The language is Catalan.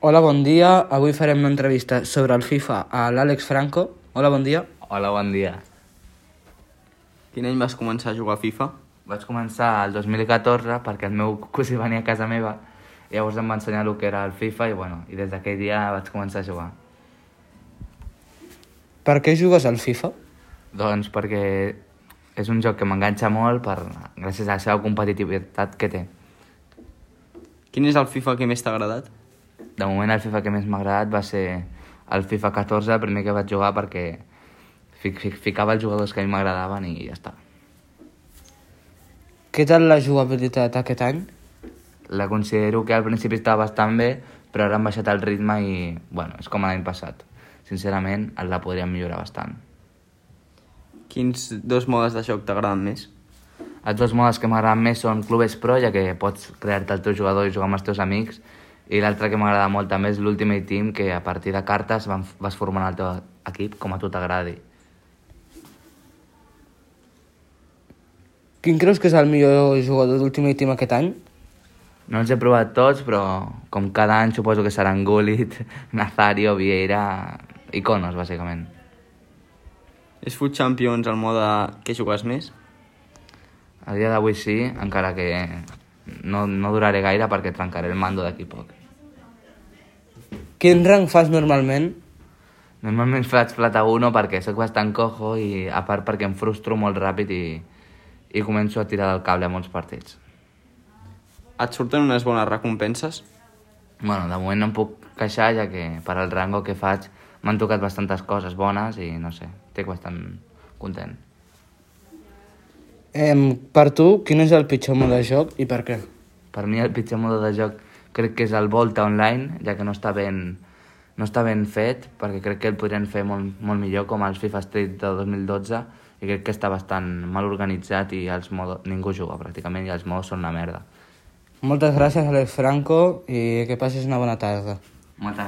Hola, bon dia. Avui farem una entrevista sobre el FIFA a l'Àlex Franco. Hola, bon dia. Hola, bon dia. Quin any vas començar a jugar a FIFA? Vaig començar el 2014 perquè el meu cosí venia a casa meva i llavors em va ensenyar el que era el FIFA i des d'aquell dia vaig començar a jugar. Per què jugues al FIFA? Doncs perquè és un joc que m'enganxa molt gràcies a la seva competitivitat que té. Quin és el FIFA que més t'ha agradat? De moment el FIFA que més m'ha agradat va ser el FIFA 14, el primer que vaig jugar perquè ficava els jugadors que a mi m'agradaven i ja està. Què tal la jugabilitat aquest any? La considero que al principi estava bastant bé, però ara han baixat el ritme i, és com l'any passat. Sincerament, la podríem millorar bastant. Quins dos modes de joc t'agraden més? Els dos modes que m'agraden més són Clubes Pro, ja que pots crear-te el teu jugador i jugar amb els teus amics, i l'altre que m'agrada molt també és l'Ultimate Team, que a partir de cartes vas formant el teu equip com a tu t'agradi. Quin creus que és el millor jugador d'Ultimate Team aquest any? No els he provat tots, però com cada any suposo que seran Gullit, Nazario, Vieira, iconos, bàsicament. És Foot Champions el mode que jugues més? A dia d'avui sí, encara que no duraré gaire perquè trencaré el mando d'aquí poc. Quin rang fas normalment? Normalment faig plata 1 perquè sóc bastant cojo i a part perquè em frustro molt ràpid i començo a tirar del cable a molts partits. Et surten unes bones recompenses? De moment no em puc queixar, ja que per al rango que faig m'han tocat bastantes coses bones i no sé, estic bastant content. Per tu, quin és el pitjor mode de joc i per què? Per mi el pitjor mode de joc crec que és el Volta Online, ja que no està ben fet, perquè crec que el podrien fer molt millor, com els FIFA Street de 2012, i crec que està bastant mal organitzat i ningú juga pràcticament i els modos són una merda. Moltes gràcies, Àlex Franco, i que passis una bona tarda. Moltes gràcies.